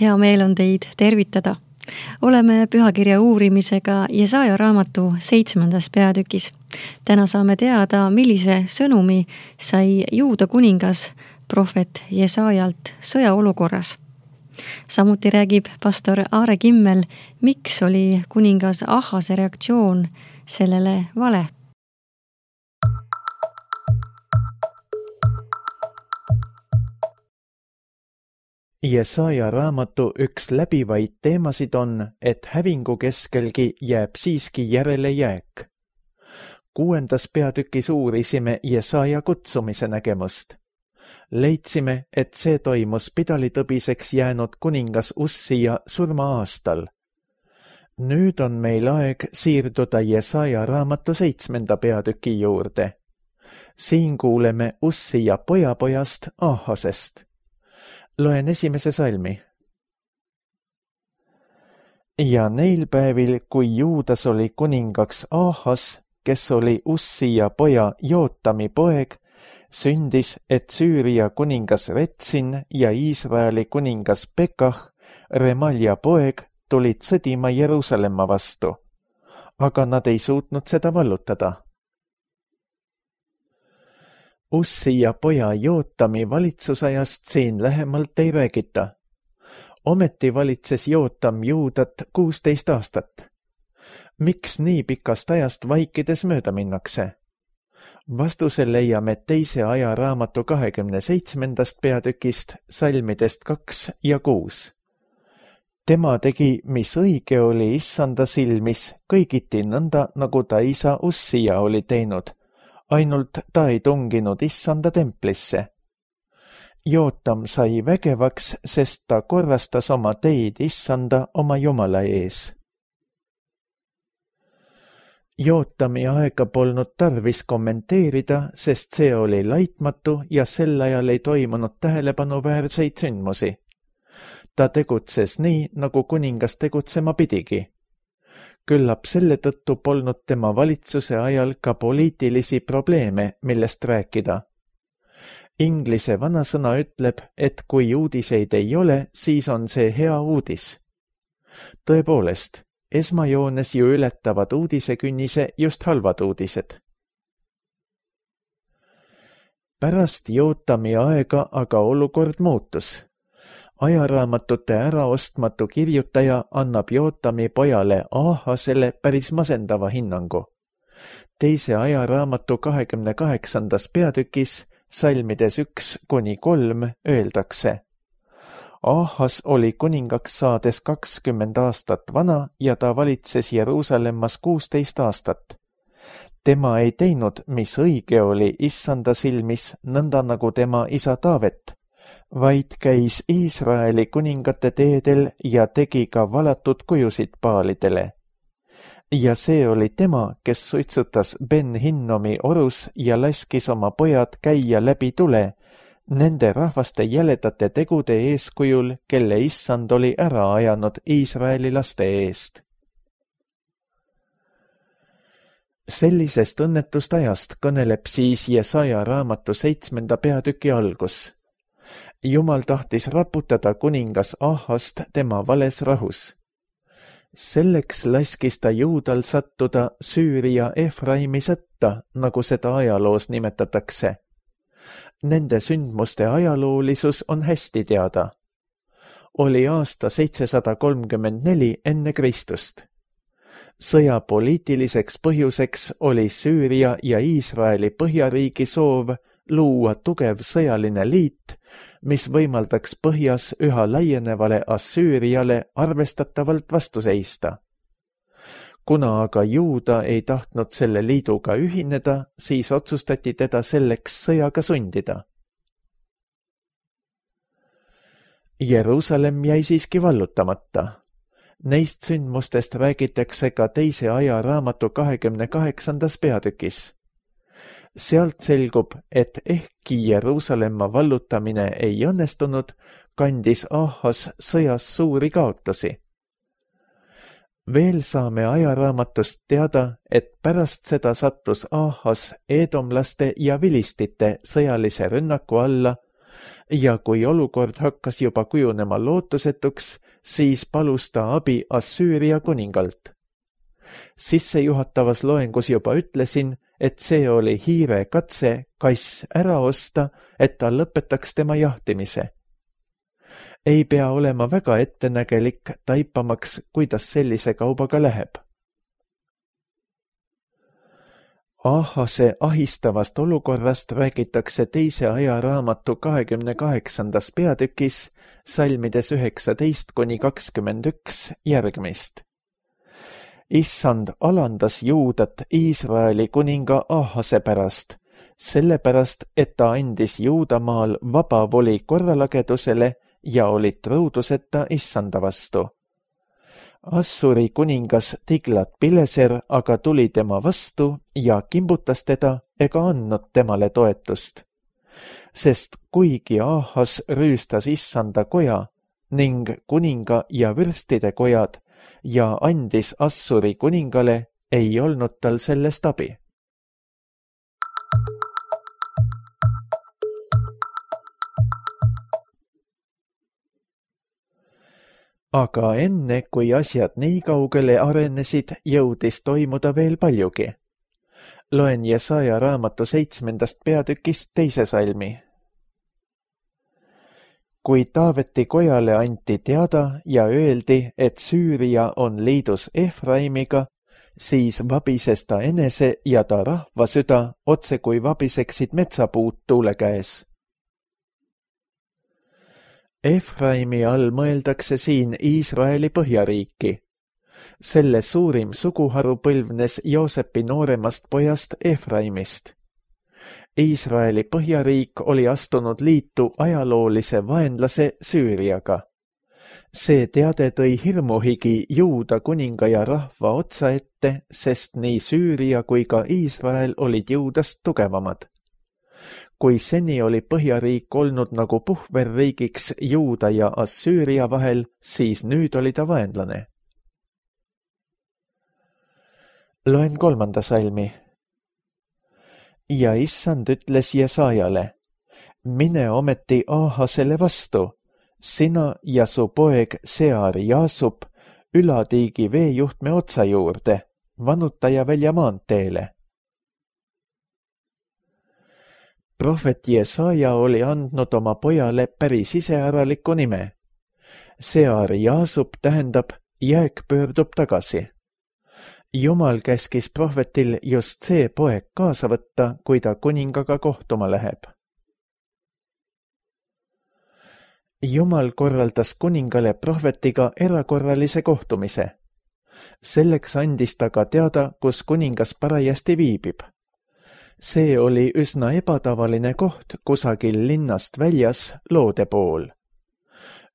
Hea meel on teid tervitada. Oleme pühakirja uurimisega Jesaja raamatu 7. peatükis. Täna saame teada, millise sõnumi sai Juuda kuningas prohvet Jesajalt sõjaolukorras. Samuti räägib pastor Aare Kimmel, miks oli kuningas Ahase reaktsioon sellele vale. Jesaja raamatu üks läbivaid teemasid on, et hävingu keskelgi jääb siiski järele jääk. 6. peatükis uurisime Jesaja kutsumise nägemust. Leidsime, et see toimus pidalitõbiseks jäänud kuningas Ussija surma-aastal. Nüüd on meil aeg siirduda Jesaja raamatu 7. peatüki juurde. Siin kuuleme Ussija pojapojast Ahasest. Loen esimese salmi. Ja neil päevil, kui Juudas oli kuningaks Ahas, kes oli Ussija poja Jootami poeg, sündis, et Süüria kuningas Retsin ja Iisraeli kuningas Pekah, Remalja poeg, tulid sõdima Jeruusalemma vastu, aga nad ei suutnud seda vallutada. Ussija poja Jootami valitsusajast siin lähemalt ei räägita. Ometi valitses Jootam Juudat 16 aastat. Miks nii pikast ajast vaikides mööda minnakse? Vastuse leiame 2. ajaraamatu 27. peatükist salmidest 2 ja 6. Tema tegi, mis õige oli Issanda silmis, kõigiti nõnda, nagu ta isa Ussija oli teinud. Ainult ta ei tunginud Issanda templisse. Jootam sai vägevaks, sest ta korrastas oma teid Issanda oma Jumala ees. Jootami aega polnud tarvis kommenteerida, sest see oli laitmatu ja sel ajal ei toimunud tähelepanuväärseid sündmusi. Ta tegutses nii, nagu kuningas tegutsema pidigi. Küllap selle tõttu polnud tema valitsuse ajal ka poliitilisi probleeme, millest rääkida. Inglise vanasõna ütleb, et kui uudiseid ei ole, siis on see hea uudis. Tõepoolest, esmajoones ju ületavad uudisekünnise just halvad uudised. Pärast Jootami aega aga olukord muutus. Ajaraamatute äraostmatu kirjutaja annab Jootami pojale Ahasele päris masendava hinnangu. 2. ajaraamatu 28. peatükis salmides 1-3 öeldakse: Ahas oli kuningaks saades 20 aastat vana ja ta valitses Jeruusalemmas 16 aastat. Tema ei teinud, mis õige oli Issanda silmis, nõnda nagu tema isa Taavet, vaid käis Iisraeli kuningate teedel ja tegi ka valatud kujusid paalidele. Ja see oli tema, kes suitsutas Ben-Hinnomi orus ja laskis oma pojad käia läbi tule, nende rahvaste jäledate tegude eeskujul, kelle Issand oli ära ajanud Iisraeli laste eest. Sellisest õnnetust ajast kõneleb siis Jesaja raamatu 7. peatüki algus. Jumal tahtis raputada kuningas Ahast tema vales rahus. Selleks laskis ta Juudal sattuda Süüria Efraimi sõtta, nagu seda ajaloos nimetatakse. Nende sündmuste ajaloolisus on hästi teada. Oli aasta 734 enne Kristust. Sõja poliitiliseks põhjuseks oli Süüria ja Iisraeli põhjariigi soov luua tugev sõjaline liit, mis võimaldaks põhjas üha laienevale Assüüriale arvestatavalt vastu seista. Kuna aga Juuda ei tahtnud selle liiduga ühineda, siis otsustati teda selleks sõjaga sundida. Jeruusalemm jäi siiski vallutamata. Neist sündmustest räägitakse ka 2. ajaraamatu 28. peatükis. Sealt selgub, et ehkki Jeruusalemma vallutamine ei õnnestunud, kandis Ahas sõjas suuri kaotusi. Veel saame ajaraamatust teada, et pärast seda sattus Ahas eedomlaste ja vilistite sõjalise rünnaku alla, ja kui olukord hakkas juba kujunema lootusetuks, siis palus ta abi Assüüria kuningalt. Sissejuhatavas loengus juba ütlesin, et see oli hiire katse kass ära osta, et ta lõpetaks tema jahtimise. Ei pea olema väga ettenägelik taipamaks, kuidas sellise kaubaga läheb. Ahase ahistavast olukorrast räägitakse teise ajaraamatu 28. peatükis salmides 19–21 järgmist. Issand alandas Juudat Iisraeli kuninga Ahase pärast, sellepärast, et ta andis Juudamaal vaba voli korralagedusele ja oli truuduseta Issanda vastu. Assuri kuningas Tiglat-Pileser aga tuli tema vastu ja kimbutas teda ega andnud temale toetust. Sest kuigi Ahas rüüstas Issanda koja ning kuninga ja vürstide kojad ja andis Assuri kuningale, ei olnud tal sellest abi. Aga enne, kui asjad nii kaugele arenesid, jõudis toimuda veel paljugi. Loen Jesaja raamatu 7. peatükist 2. salmi. Kui Taaveti kojale anti teada ja öeldi, et Süüria on liidus Efraimiga, siis vabises ta enese ja ta rahva süda otse kui vabiseksid metsapuud tuule käes. Efraimi all mõeldakse siin Iisraeli põhjariiki. Selle suurim suguharu põlvnes Joosepi nooremast pojast Efraimist. Iisraeli põhjariik oli astunud liitu ajaloolise vaenlase Süüriaga. See teade tõi hirmuhigi Juuda kuninga ja rahva otsa ette, sest nii Süüria kui ka Iisrael olid Juudast tugevamad. Kui seni oli põhjariik olnud nagu puhverriigiks Juuda ja Assüüria vahel, siis nüüd oli ta vaenlane. Loen 3. salmi. Ja Issand ütles Jesajale, mine ometi Ahasele vastu, sina ja su poeg Sear Jaasub ülatiigi veejuhtme otsa juurde, vanutaja välja maanteele. Prohvet Jesaja oli andnud oma pojale päris iseäraliku nime. Sear Jaasub tähendab, jääk pöördub tagasi. Jumal käskis prohvetil just see poeg kaasa võtta, kui ta kuningaga kohtuma läheb. Jumal korraldas kuningale prohvetiga erakorralise kohtumise. Selleks andis ta ka teada, kus kuningas parajasti viibib. See oli üsna ebatavaline koht kusagil linnast väljas loode pool.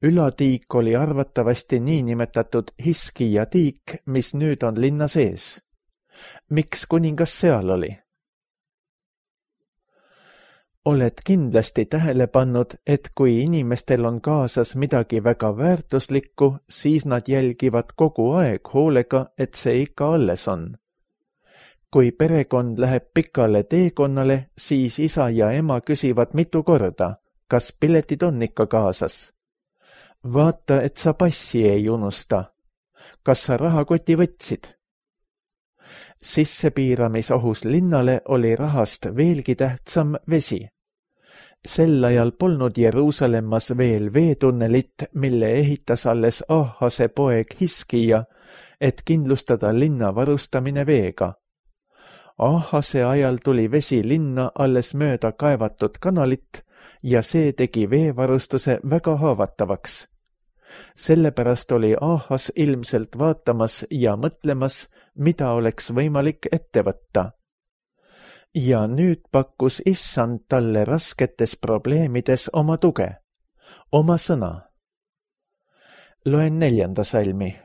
Ülatiik oli arvatavasti niinimetatud Hiskija tiik, mis nüüd on linna sees. Miks kuningas seal oli? Oled kindlasti tähele pannud, et kui inimestel on kaasas midagi väga väärtuslikku, siis nad jälgivad kogu aeg hoolega, et see ikka alles on. Kui perekond läheb pikale teekonnale, siis isa ja ema küsivad mitu korda, kas piletid on ikka kaasas. Vaata, et sa passi ei unusta. Kas sa rahakoti võtsid? Sissepiiramisohus linnale oli rahast veelgi tähtsam vesi. Sel ajal polnud Jeruusalemmas veel veetunnelit, mille ehitas alles Ahase poeg Hiskija, et kindlustada linna varustamine veega. Ahase ajal tuli vesi linna alles mööda kaevatud kanalit ja see tegi veevarustuse väga haavatavaks. Sellepärast oli Ahas ilmselt vaatamas ja mõtlemas, mida oleks võimalik ette võtta. Ja nüüd pakkus Issand talle rasketes probleemides oma tuge, oma sõna. Loen 4. salmi.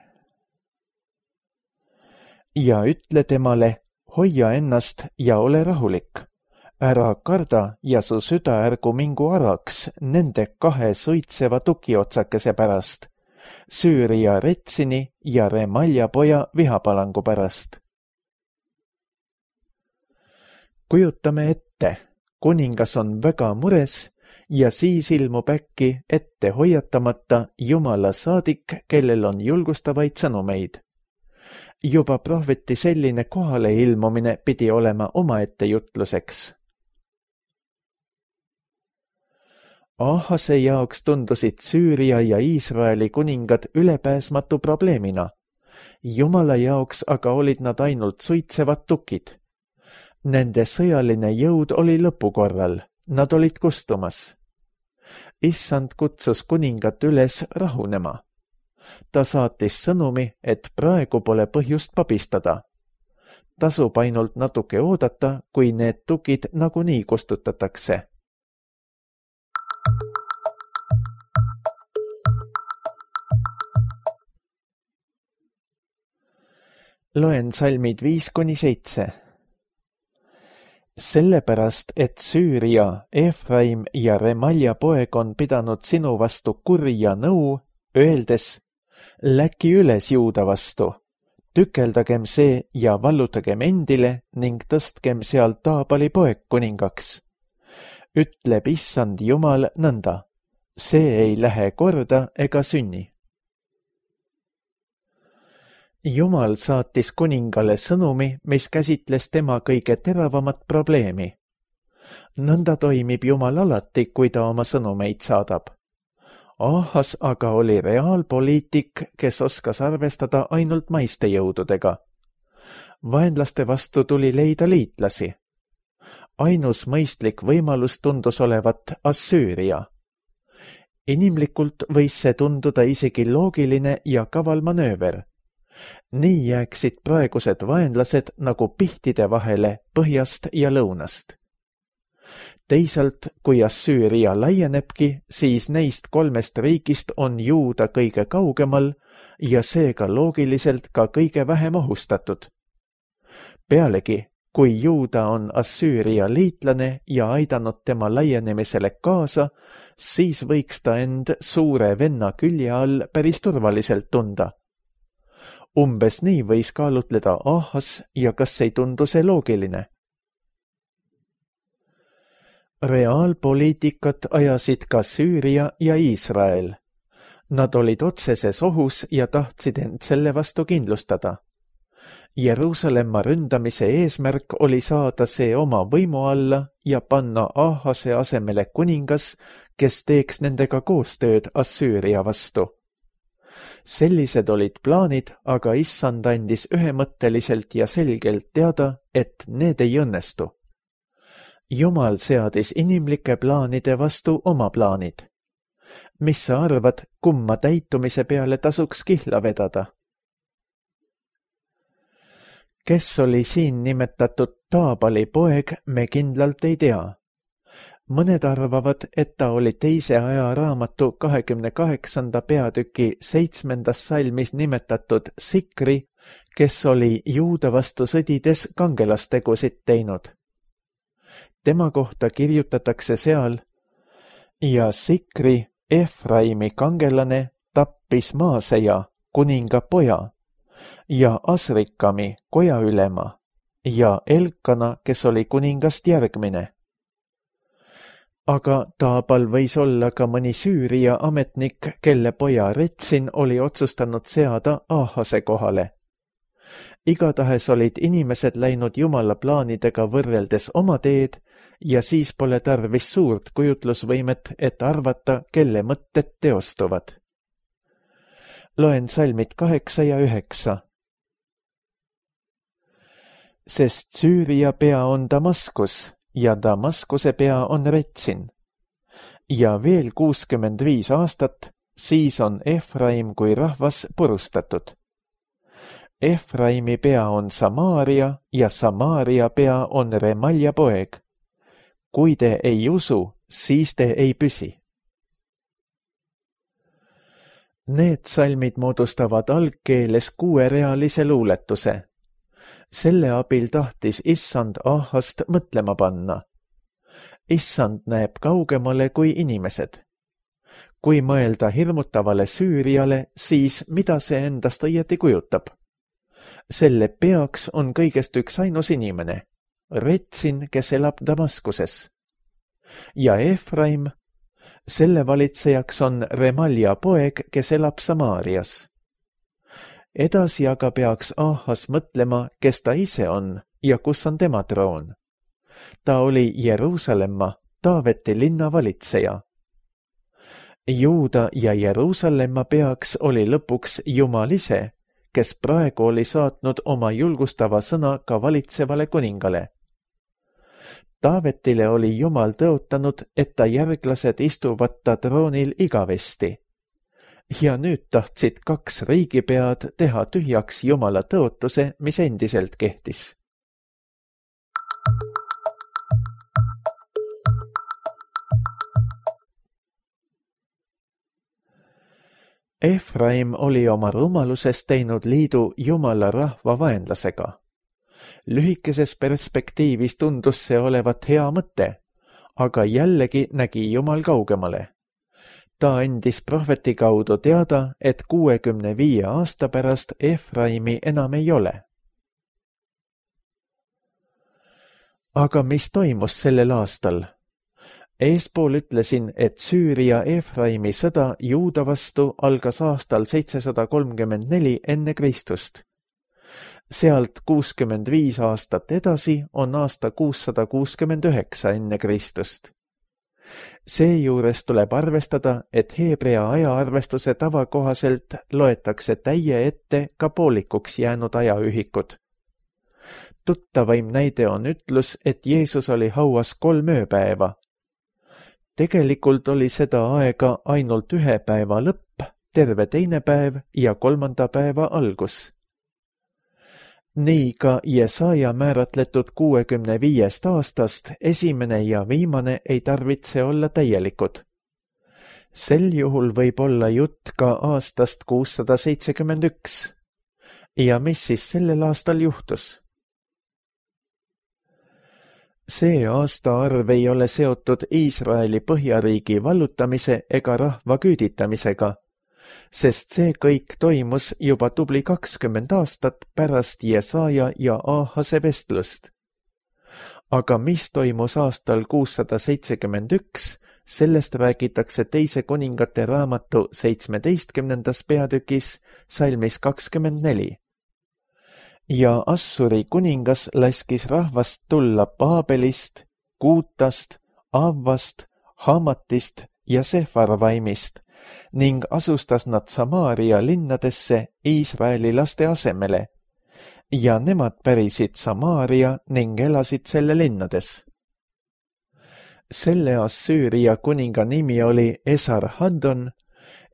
Ja ütle temale, hoia ennast ja ole rahulik. Ära karda ja su süda ärgu mingu araks nende 2 suitseva tukiotsakese pärast, Süüria Retsini ja Remalja poja vihapalangu pärast. Kujutame ette, kuningas on väga mures ja siis ilmub äkki ette hoiatamata Jumala saadik, kellel on julgustavaid sõnumeid. Juba prohveti selline kohale ilmumine pidi olema omaette jutluseks. Ahase jaoks tundusid Süüria ja Iisraeli kuningad ülepääsmatu probleemina. Jumala jaoks aga olid nad ainult suitsevad tukid. Nende sõjaline jõud oli lõpukorral, nad olid kustumas. Issand kutsus kuningat üles rahunema. Ta saatis sõnumi, et praegu pole põhjust pabistada. Tasub ainult natuke oodata, kui need tukid nagunii kustutatakse. Loen salmid 5-7. Sellepärast, et Süüria, Efraim ja Remalja poeg on pidanud sinu vastu kurja nõu, öeldes, läki üles Juuda vastu, tükeldagem see ja vallutagem endile ning tõstkem seal Taabali poeg kuningaks. Ütleb Issand Jumal nõnda, see ei lähe korda ega sünni. Jumal saatis kuningale sõnumi, mis käsitles tema kõige teravamat probleemi. Nõnda toimib Jumal alati, kui ta oma sõnumeid saadab. Ahas aga oli reaalpoliitik, kes oskas arvestada ainult maiste jõududega. Vaenlaste vastu tuli leida liitlasi. Ainus mõistlik võimalus tundus olevat Assüüria. Inimlikult võis see tunduda isegi loogiline ja kaval manööver. Nii jääksid praegused vaenlased nagu pihtide vahele põhjast ja lõunast. Teisalt, kui Assüüria laienebki, siis neist 3 riigist on Juuda kõige kaugemal ja seega loogiliselt ka kõige vähem ohustatud. Pealegi, kui Juuda on Assüüria liitlane ja aidanud tema laienemisele kaasa, siis võiks ta end suure venna külje all päris turvaliselt tunda. Umbes nii võis kaalutleda Ahas ja kas ei tundu see loogiline? Reaalpoliitikat ajasid ka Süüria ja Iisrael. Nad olid otseses ohus ja tahtsid end selle vastu kindlustada. Jeruusalemma ründamise eesmärk oli saada see oma võimu alla ja panna Ahase asemele kuningas, kes teeks nendega koostööd Assüüria vastu. Sellised olid plaanid, aga Issand andis ühemõtteliselt ja selgelt teada, et need ei õnnestu. Jumal seadis inimlike plaanide vastu oma plaanid. Mis sa arvad, kumma täitumise peale tasuks kihla vedada? Kes oli siin nimetatud Taabali poeg, me kindlalt ei tea. Mõned arvavad, et ta oli teise ajaraamatu 28. peatüki 7. salmis nimetatud Sikri, kes oli Juuda vastu sõdides kangelastegusid teinud. Tema kohta kirjutatakse seal, ja Sikri, Efraimi kangelane, tappis Maaseja, kuninga poja, ja Asrikami, kojaülema, ja Elkana, kes oli kuningast järgmine. Aga Taabal võis olla ka mõni Süüria ametnik, kelle poja Retsin oli otsustanud seada Ahase kohale. Igatahes olid inimesed läinud Jumala plaanidega võrreldes oma teed ja siis pole tarvis suurt kujutlusvõimet, et arvata, kelle mõtted teostuvad. Loen salmid 8 ja 9. Sest Süüria pea on Damaskus ja Damaskuse pea on Retsin. Ja veel 65 aastat, siis on Efraim kui rahvas purustatud. Efraimi pea on Samaaria ja Samaaria pea on Remalja poeg. Kui te ei usu, siis te ei püsi. Need salmid moodustavad algkeeles 6-realise luuletuse. Selle abil tahtis Issand Ahast mõtlema panna. Issand näeb kaugemale kui inimesed. Kui mõelda hirmutavale Süüriale, siis mida see endast õieti kujutab? Selle peaks on kõigest üks ainus inimene, Retsin, kes elab Damaskuses. Ja Efraim, selle valitsejaks on Remalja poeg, kes elab Samaarias. Edasi aga peaks Ahas mõtlema, kes ta ise on ja kus on tema troon. Ta oli Jeruusalemma, Taaveti linna valitseja. Juuda ja Jeruusalemma peaks oli lõpuks Jumal ise, kes praegu oli saatnud oma julgustava sõna ka valitsevale kuningale. Taavetile oli Jumal tõotanud, et ta järglased istuvad ta troonil igavesti. Ja nüüd tahtsid 2 riigipead teha tühjaks Jumala tõotuse, mis endiselt kehtis. Efraim oli oma rumaluses teinud liidu Jumala rahva vaenlasega. Lühikeses perspektiivis tundus see olevat hea mõte, aga jällegi nägi Jumal kaugemale. Ta andis prohveti kaudu teada, et 65 aasta pärast Efraimi enam ei ole. Aga mis toimus sellel aastal? Eespool ütlesin, et Süüria Efraimi sõda Juuda vastu algas aastal 734 enne Kristust. Sealt 65 aastat edasi on aasta 669 enne Kristust. Seejuures tuleb arvestada, et heebrea ajaarvestuse tava kohaselt loetakse täie ette ka poolikuks jäänud ajaühikud. Tuttavaim näide on ütlus, et Jeesus oli hauas 3 ööpäeva. Tegelikult oli seda aega ainult 1 päeva lõpp, terve 2. päev ja 3. päeva algus. Nii ka Jesaja määratletud 65 aastast esimene ja viimane ei tarvitse olla täielikud. Sel juhul võib olla jutt ka aastast 671. Ja mis siis sellel aastal juhtus? See aastaarv ei ole seotud Iisraeli põhjariigi vallutamise ega rahva küüditamisega, sest see kõik toimus juba tubli 20 aastat pärast Jesaja ja Ahase vestlust. Aga mis toimus aastal 671, sellest räägitakse 2 kuningate raamatu 17. peatükis salmis 24. Ja Assuri kuningas laskis rahvast tulla Baabelist, Kuutast, Avvast, Hamatist ja Sefarvaimist ning asustas nad Samaaria linnadesse Iisraeli laste asemele. Ja nemad pärisid Samaaria ning elasid selle linnades. Selle Assüüria kuninga nimi oli Esarhaddon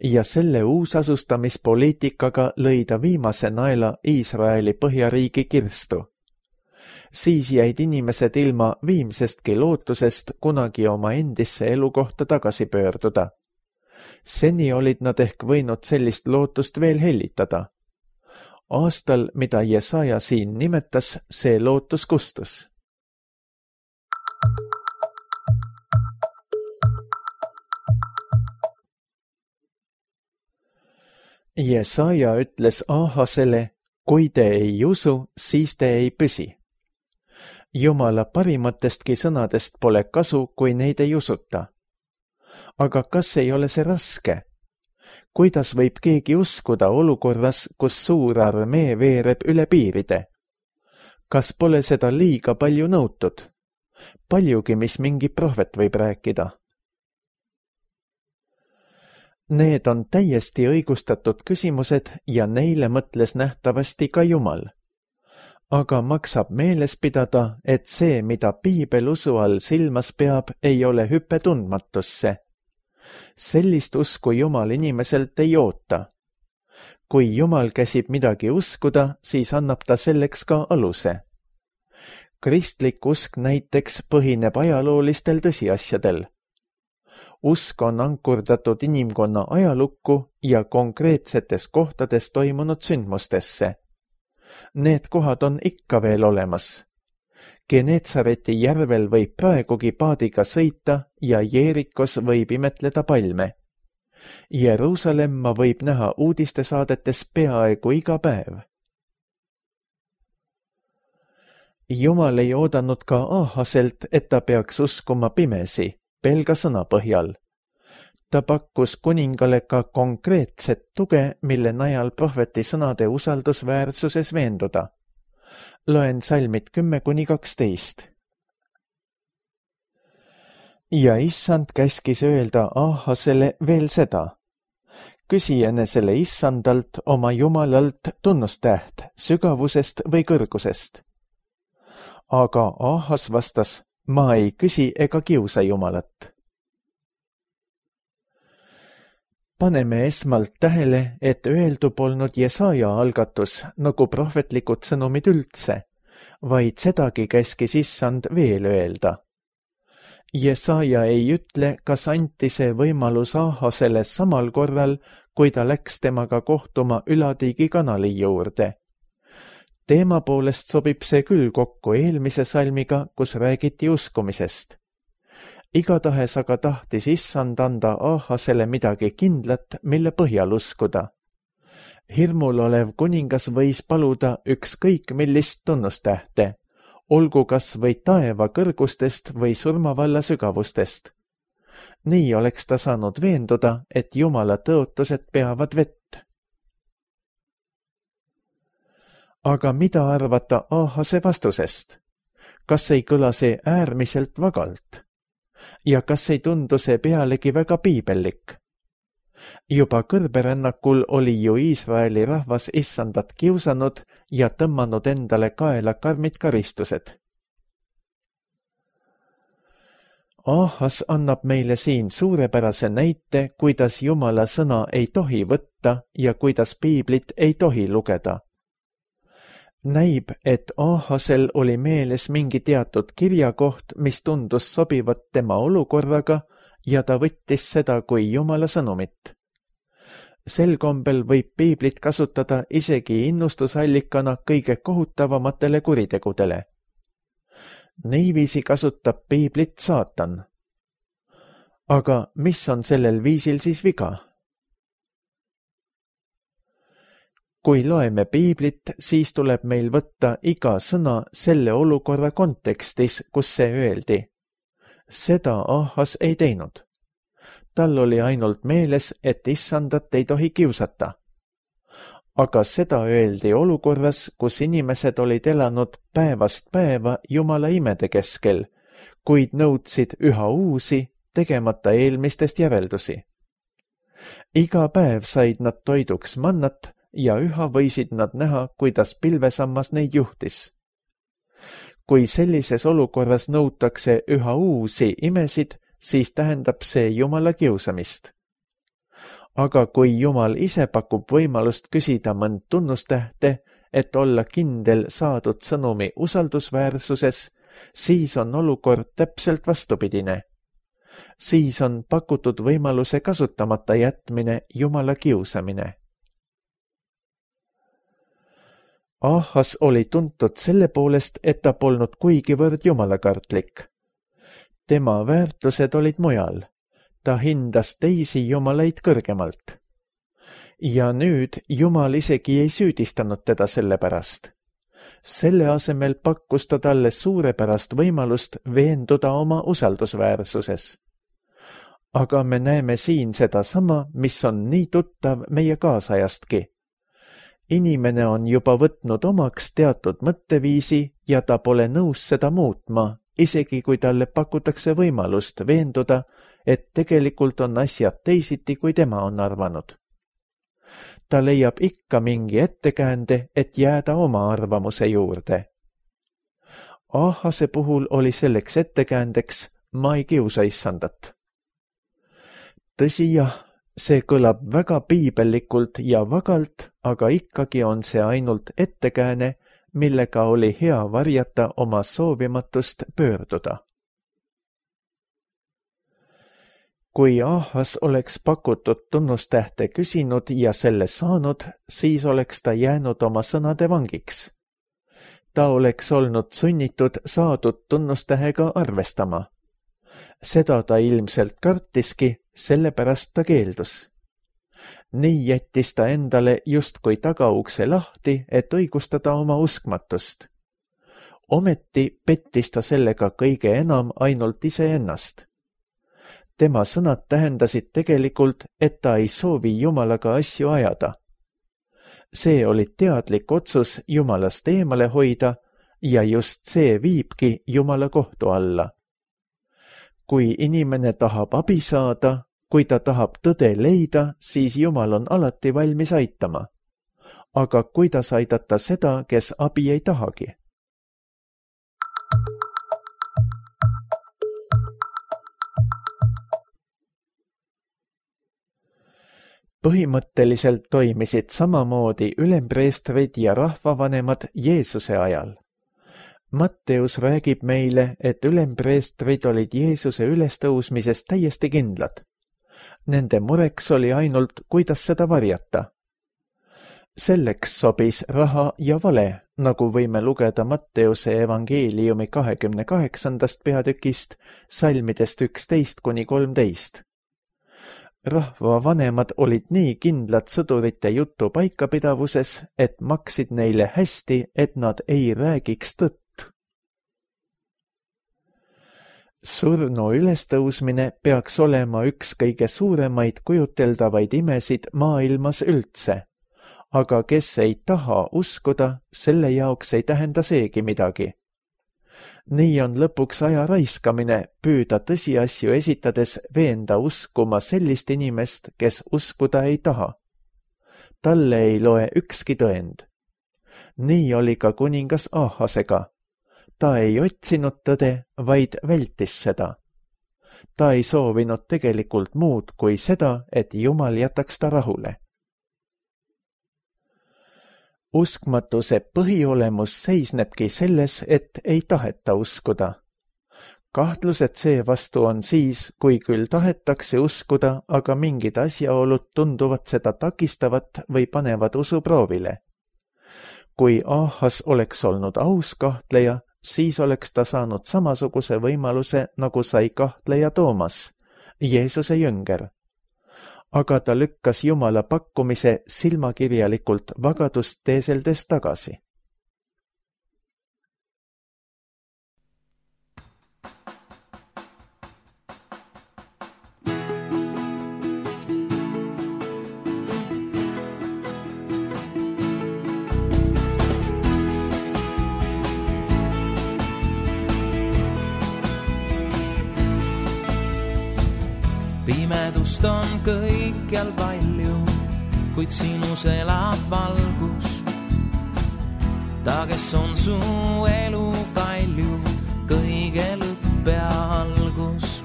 ja selle uusasustamispoliitikaga lõi ta viimase naela Iisraeli põhjariigi kirstu. Siis jäid inimesed ilma viimsestki lootusest kunagi oma endisse elukohta tagasi pöörduda. Seni olid nad ehk võinud sellist lootust veel hellitada. Aastal, mida Jesaja siin nimetas, see lootus kustus. Jesaja ütles Ahasele, kui te ei usu, siis te ei püsi. Jumala parimatestki sõnadest pole kasu, kui neid ei usuta. Aga kas ei ole see raske? Kuidas võib keegi uskuda olukorras, kus suur armee veereb üle piiride? Kas pole seda liiga palju nõutud? Paljugi, mis mingi prohvet võib rääkida. Need on täiesti õigustatud küsimused ja neile mõtles nähtavasti ka Jumal. Aga maksab meeles pidada, et see, mida piibel usu all silmas peab, ei ole hüpe tundmatusse. Sellist usku Jumal inimeselt ei oota. Kui Jumal käsib midagi uskuda, siis annab ta selleks ka aluse. Kristlik usk näiteks põhineb ajaloolistel tõsiasjadel. Usk on ankurdatud inimkonna ajalukku ja konkreetsetes kohtades toimunud sündmustesse. Need kohad on ikka veel olemas. Geneetsareti järvel võib praegugi paadiga sõita ja Jeerikos võib imetleda palme. Jeruusalemma võib näha uudistesaadetes peaaegu iga päev. Jumal ei oodanud ka Ahaselt, et ta peaks uskuma pimesi, pelga sõna põhjal. Ta pakkus kuningale ka konkreetset tuge, mille najal prohveti sõnade usaldusväärsuses veenduda. Loen salmid 10-12. Ja issand käskis öelda Ahasele veel seda. Küsi enesele issandalt oma jumalalt tunnustäht sügavusest või kõrgusest. Aga Ahas vastas, ma ei küsi ega kiusa jumalat. Paneme esmalt tähele, et öeldu polnud Jesaja algatus nagu prohvetlikud sõnumid üldse, vaid sedagi käskis issand veel öelda. Jesaja ei ütle, kas anti see võimalus Ahasele samal korral, kui ta läks temaga kohtuma Ülatiigi kanali juurde. Teema poolest sobib see küll kokku eelmise salmiga, kus räägiti uskumisest. Igatahes aga tahtis issand anda Ahasele midagi kindlat, mille põhjal uskuda. Hirmul olev kuningas võis paluda ükskõik millist tunnustähte, olgu kas või taeva kõrgustest või surmavalla sügavustest. Nii oleks ta saanud veenduda, et Jumala tõotused peavad vett. Aga mida arvata Ahase vastusest? Kas ei kõla see äärmiselt vagalt? Ja kas ei tundu see pealegi väga piibellik? Juba kõrberännakul oli ju Iisraeli rahvas issandat kiusanud ja tõmmanud endale kaela karmid karistused. Ahas annab meile siin suurepärase näite, kuidas Jumala sõna ei tohi võtta ja kuidas piiblit ei tohi lugeda. Näib, et Ahasel oli meeles mingi teatud kirjakoht, mis tundus sobivat tema olukorraga ja ta võttis seda kui Jumala sõnumit. Sel kombel võib piiblit kasutada isegi innustusallikana kõige kohutavamatele kuritegudele. Niiviisi kasutab piiblit saatan. Aga mis on sellel viisil siis viga? Kui loeme piiblit, siis tuleb meil võtta iga sõna selle olukorra kontekstis, kus see öeldi. Seda Ahas ei teinud. Tal oli ainult meeles, et issandat ei tohi kiusata. Aga seda öeldi olukorras, kus inimesed olid elanud päevast päeva Jumala imede keskel, kuid nõudsid üha uusi, tegemata eelmistest järeldusi. Iga päev said nad toiduks mannat ja üha võisid nad näha, kuidas pilvesammas neid juhtis. Kui sellises olukorras nõutakse üha uusi imesid, siis tähendab see Jumala kiusamist. Aga kui Jumal ise pakub võimalust küsida mõnd tunnustähte, et olla kindel saadud sõnumi usaldusväärsuses, siis on olukord täpselt vastupidine. Siis on pakutud võimaluse kasutamata jätmine Jumala kiusamine. Ahas oli tuntud selle poolest, et ta polnud kuigivõrd jumalakartlik. Tema väärtused olid mujal. Ta hindas teisi jumalaid kõrgemalt. Ja nüüd Jumal isegi ei süüdistanud teda selle pärast. Selle asemel pakkus ta talle suurepärast võimalust veenduda oma usaldusväärsuses. Aga me näeme siin sedasama, mis on nii tuttav meie kaasajastki. Inimene on juba võtnud omaks teatud mõtteviisi ja ta pole nõus seda muutma, isegi kui talle pakutakse võimalust veenduda, et tegelikult on asjad teisiti, kui tema on arvanud. Ta leiab ikka mingi ettekäände, et jääda oma arvamuse juurde. Ahase puhul oli selleks ettekäändeks, ma ei kiusa issandat. Tõsi jah, see kõlab väga piibellikult ja vagalt, aga ikkagi on see ainult ettekääne, millega oli hea varjata oma soovimatust pöörduda. Kui Ahas oleks pakutud tunnustähte küsinud ja selle saanud, siis oleks ta jäänud oma sõnade vangiks. Ta oleks olnud sunnitud saadud tunnustähega arvestama. Seda ta ilmselt kartiski, sellepärast ta keeldus. Nii jättis ta endale justkui tagaukse lahti, et õigustada oma uskmatust. Ometi pettis ta sellega kõige enam ainult iseennast. tema sõnad tähendasid tegelikult, et ta ei soovi Jumalaga asju ajada. See oli teadlik otsus Jumalast eemale hoida ja just see viibki Jumala kohtu alla. Kui inimene tahab abi saada, kui ta tahab tõde leida, siis Jumal on alati valmis aitama. Aga kuidas aidata seda, kes abi ei tahagi? Põhimõtteliselt toimisid samamoodi ülempreestrid ja rahvavanemad Jeesuse ajal. Matteus räägib meile, et ülempreestrid olid Jeesuse ülestõusmisest täiesti kindlad. Nende mureks oli ainult, kuidas seda varjata. Selleks sobis raha ja vale, nagu võime lugeda Matteuse evangeeliumi 28. peatükist, salmidest 11–13. Rahvavanemad olid nii kindlad sõdurite jutu paikapidavuses, et maksid neile hästi, et nad ei räägiks tõtt. Surnu ülestõusmine peaks olema üks kõige suuremaid kujuteldavaid imesid maailmas üldse, aga kes ei taha uskuda, selle jaoks ei tähenda seegi midagi. Nii on lõpuks aja raiskamine püüda tõsiasju esitades veenda uskuma sellist inimest, kes uskuda ei taha. Talle ei loe ükski tõend. Nii oli ka kuningas Ahasega. Ta ei otsinud tõde, vaid vältis seda. Ta ei soovinud tegelikult muud kui seda, et Jumal jätaks ta rahule. Uskmatuse põhiolemus seisnebki selles, et ei taheta uskuda. Kahtlused seevastu on siis, kui küll tahetakse uskuda, aga mingid asjaolud tunduvad seda takistavat või panevad usuproovile. Kui Ahas oleks olnud aus kahtleja, siis oleks ta saanud samasuguse võimaluse, nagu sai kahtleja Toomas, Jeesuse jünger. Aga ta lükkas Jumala pakkumise silmakirjalikult vagadust teeseldes tagasi. Pimedust on kõikjal palju, kuid sinus elab valgus. Ta, kes on su elu kalju, kõige lõpp ja algus.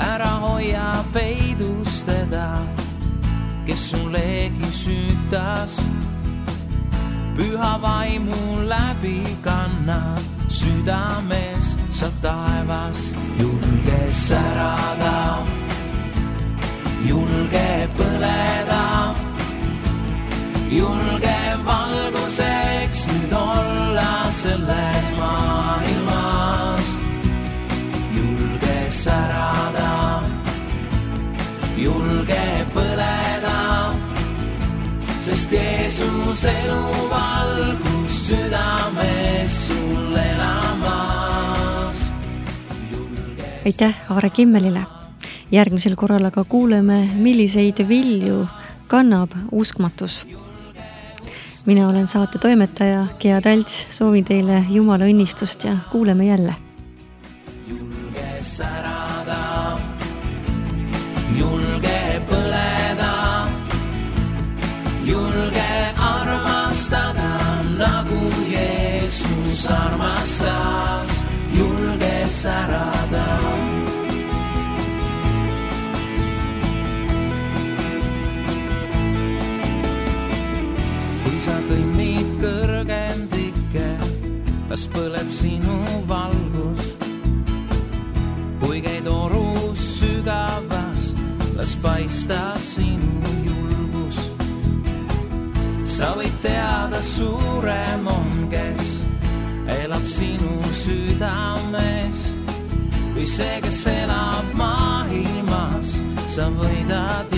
Ära hoia peidus teda, kes sulegi süütas. Püha vaimu läbi kannab südames sa taevast. Julge särada, julge põleda, julge valguseks nüüd olla selles maailmas. Julge särada, julge põleda, sest Jeesus elu valgus südames sul elamas. Aitäh Aare Kimmelile. Järgmisel korral aga kuuleme, milliseid vilju kannab uskmatus. Mina olen saate toimetaja Gea Talts, soovin teile Jumala õnnistust ja kuuleme jälle. Julge särada, julge põleda, julge armastada, nagu Jeesus armastas. Julge särada. Kui sa kõnnid kõrgendikke, las põleb sinu valgus. Kui käid orus sügavas, las paista sinu julgus. Sa võid teada, suurem on, kes elab sinu südames, kui see, kes elab maailmas, sa võidad